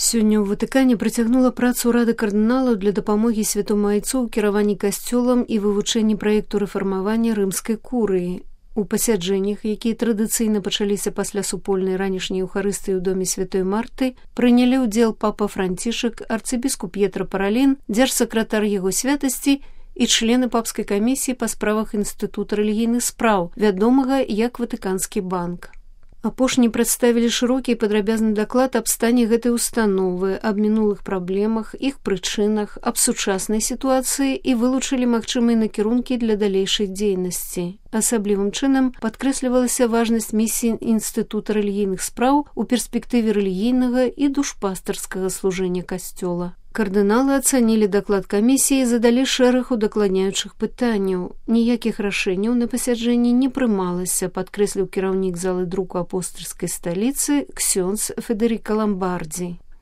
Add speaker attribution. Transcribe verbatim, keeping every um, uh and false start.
Speaker 1: Сёння ў Ватыкане працягнула працу Рады кардыналаў для дапамогі святому айцу ў кіраванні касцёлам і вывучэнні праекту рэфармавання рымскай курыі. У пасяджэннях, якія традыцыйна пачаліся пасля супольнай ранішняй еўхарыстыі ў доме святой Марты, прынялі ўдзел папа Францішак, арцыбіскуп П'етра Паралін, дзяржсакратар яго святасці і члены папскай камісіі па справах інстытута рэлігійных спраў, вядомага як Ватыканскі банк. Апошні прадставілі шырокі і падрабязны даклад аб стане гэтай установы, аб мінулых праблемах, іх прычынах, аб сучаснай сітуацыі і вылучылі магчымыя накірункі для далейшай дзейнасці. Асаблівым чынам падкрэслівалася важнасць місіі інстытута рэлігійных спраў у перспектыве рэлігійнага і душпастарскага служэння касцёла. Кардыналы ацанілі даклад камісіі і задалі шэраг удакладняючых пытанняў. Ніякіх рашэнняў на пасяджэнні не прымалася, падкрэсліў кіраўнік залы друку апостальскай сталіцы ксёндз Федэрыка Ламбардзі.